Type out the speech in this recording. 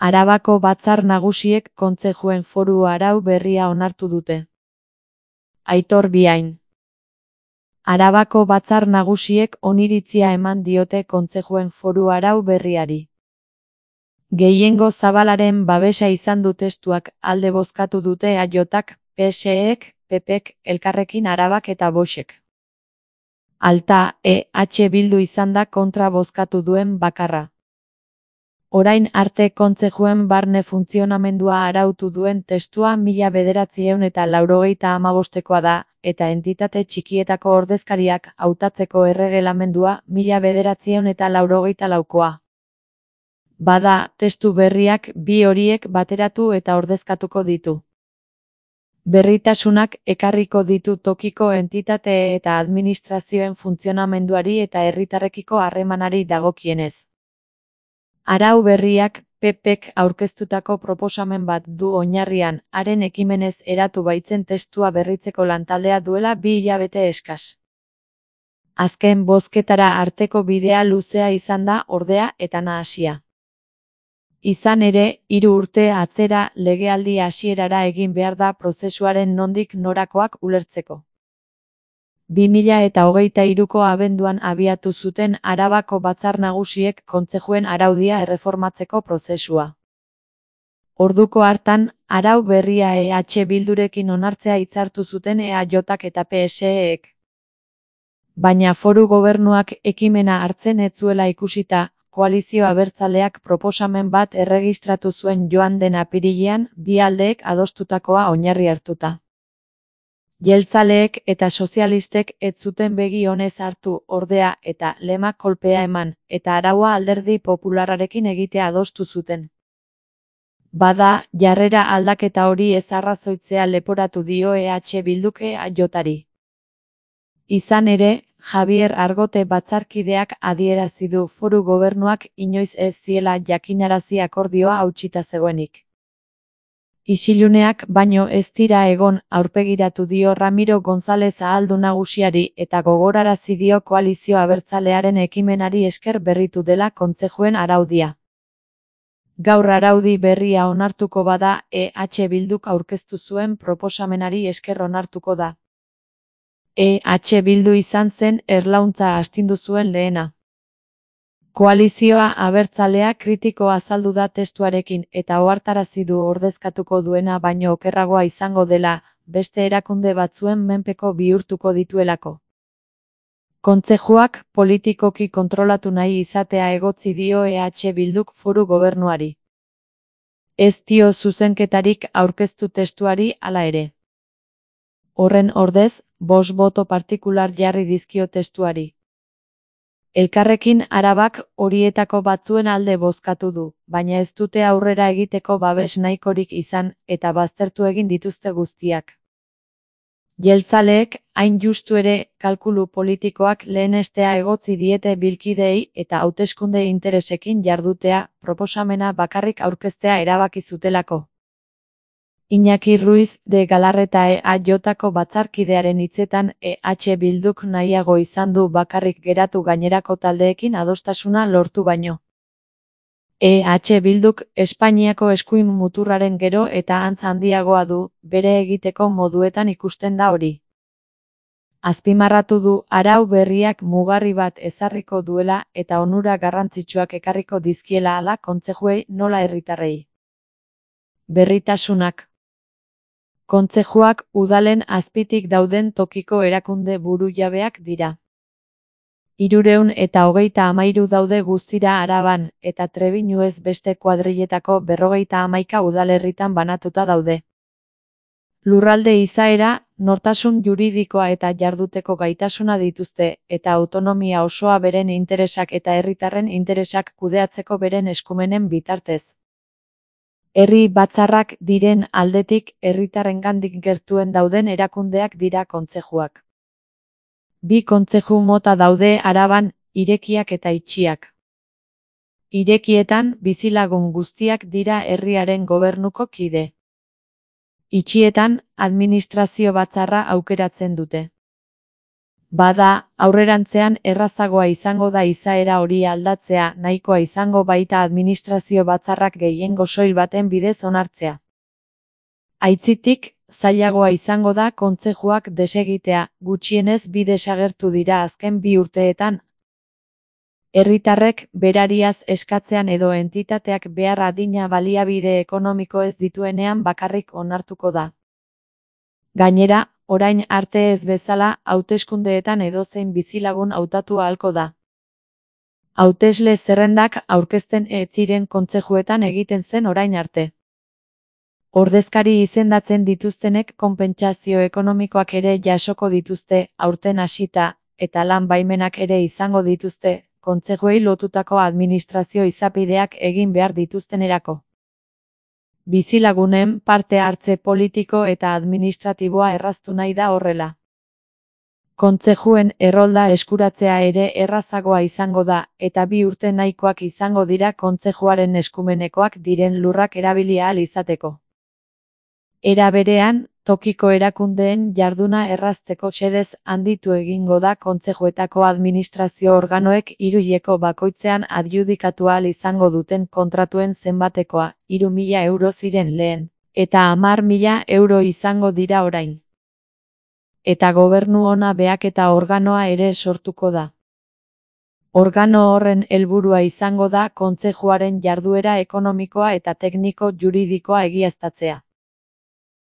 Arabako Batzar Nagusiek kontzejuen foru arau berria onartu dute. Aitor Biain. Arabako Batzar Nagusiek oniritzia eman diote kontzejuen foru arau berriari. Gehiengo zabalaren babesa izan du testuak, alde bozkatu dute AJak, PSEek, PPek, Elkarrekin Arabak eta Voxek. Alta, Bildu izan da kontra bozkatu duen bakarra. Orain arte kontzejuen barne funtzionamendua arautu duen testua 1985koa da, eta entitate txikietako ordezkariak hautatzeko erregelamendua 1984koa. Bada, testu berriak bi horiek bateratu eta ordezkatuko ditu. Berritasunak ekarriko ditu tokiko entitate eta administrazioen funtzionamenduari eta herritarrekiko harremanari dagokienez. Arau berriak PPek aurkeztutako proposamen bat du oinarrian, haren ekimenez eratu baitzen testua berritzeko lantaldea duela 2 hilabete eskas. Azken bozketara arteko bidea luzea izan da, ordea, eta nahasia. Izan ere, 3 urte atzera legealdi hasierara egin behar da prozesuaren nondik norakoak ulertzeko. 2023ko abenduan abiatu zuten Arabako Batzar Nagusiek kontzejuen araudia erreformatzeko prozesua. Orduko hartan, arau berria Bildurekin onartzea hitzartu zuten AJak eta PSEek. Baina foru gobernuak ekimena hartzen ez zuela ikusita, koalizio abertzaleak proposamen bat erregistratu zuen joan den apirilean, bi aldeek adostutakoa oinarri hartuta. Jeltzaleek eta sozialistek ez zuten begi onez hartu, ordea, eta lemak kolpea eman, eta araua Alderdi Popularrarekin egitea adostu zuten. Bada, jarrera aldaketa hori ez arrazoitzea leporatu dio Bilduk AJari. Izan ere, Javier Argote batzarkideak adierazi du foru gobernuak inoiz ez ziela jakinarazi akordioa hautsita zegoenik. Isiluneak baino ez dira egon, aurpegiratu dio Ramiro González Ahaldun Nagusiari eta gogorarazi dio koalizio abertzalearen ekimenari esker berritu dela kontzejuen araudia. Gaur araudi berria onartuko bada, Bilduk aurkeztu zuen proposamenari esker onartuko da. Bildu izan zen erlauntza astindu zuen lehena. Koalizioa abertzalea kritiko azaldu da testuarekin eta ohartarazi du ordezkatuko duena baino okerragoa izango dela, beste erakunde batzuen menpeko bihurtuko dituelako. Kontzejuak politikoki kontrolatu nahi izatea egotzi dio Bilduk foru gobernuari. Ez dio zuzenketarik aurkeztu testuari hala ere. Horren ordez, 5 boto partikular jarri dizkio testuari. Elkarrekin Arabak horietako batzuen alde bozkatu du, baina ez dute aurrera egiteko babes nahikorik izan, eta baztertu egin dituzte guztiak. Jeltzaleek, hain justu ere, kalkulu politikoak lehenestea egotzi diete bilkideei eta hauteskunde interesekin jardutea, proposamena bakarrik aurkeztea erabaki zutelako. Iñaki Ruiz de Galarreta AJko batzarkidearen hitzetan Bilduk nahiago izan du bakarrik geratu gainerako taldeekin adostasuna lortu baino. Bilduk Espainiako eskuin muturraren gero eta antz handiagoa du, bere egiteko moduetan ikusten da hori. Azpimarratu du arau berriak mugarri bat ezarriko duela eta onura garrantzitsuak ekarriko dizkiela hala kontzejuei nola herritarrei. Berritasunak. Kontzejuak udalen azpitik dauden tokiko erakunde burujabeak dira. 323 daude guztira Araban, eta Trebiñuez beste kuadriletako 51 udalerritan banatuta daude. Lurralde izaera, nortasun juridikoa eta jarduteko gaitasuna dituzte, eta autonomia osoa beren interesak eta herritarren interesak kudeatzeko beren eskumenen bitartez. Herri batzarrak diren aldetik herritarrengandik gertuen dauden erakundeak dira kontzejuak. 2 kontzeju mota daude Araban, irekiak eta itxiak. Irekietan bizilagun guztiak dira herriaren gobernuko kide. Itxietan administrazio batzarra aukeratzen dute. Bada, aurrerantzean errazagoa izango da izaera hori aldatzea, nahikoa izango baita administrazio batzarrak gehiengo soil baten bidez onartzea. Aitzitik, zailagoa izango da kontzejuak desegitea, gutxienez bi desagertu dira azken 2 urteetan. Herritarrek berariaz eskatzean edo entitateak behar adina baliabide ekonomiko ez dituenean bakarrik onartuko da. Gainera, orain arte ez bezala, hauteskundeetan edozein bizilagun hautatu ahalko da. Hautesle zerrendak aurkezten ez ziren kontzejuetan egiten zen orain arte. Ordezkari izendatzen dituztenek konpentsazio ekonomikoak ere jasoko dituzte, aurten hasita, eta lan baimenak ere izango dituzte, kontzejuei lotutako administrazio izapideak egin behar dituztenerako. Bizilagunen parte hartze politiko eta administratiboa erraztu nahi da horrela. Kontzejuen errolda eskuratzea ere errazagoa izango da, eta 2 urte nahikoak izango dira kontzejuaren eskumenekoak diren lurrak erabili ahal izateko. Era berean, tokiko erakundeen jarduna errazteko xedez handitu egingo da kontzejuetako administrazio organoek 3 hileko bakoitzean adjudikatu ahal izango duten kontratuen zenbatekoa, 3.000 euro ziren lehen, eta 10.000 euro izango dira orain. Eta gobernu ona behaketa organoa ere sortuko da. Organo horren helburua izango da kontzejuaren jarduera ekonomikoa eta tekniko juridikoa egiaztatzea.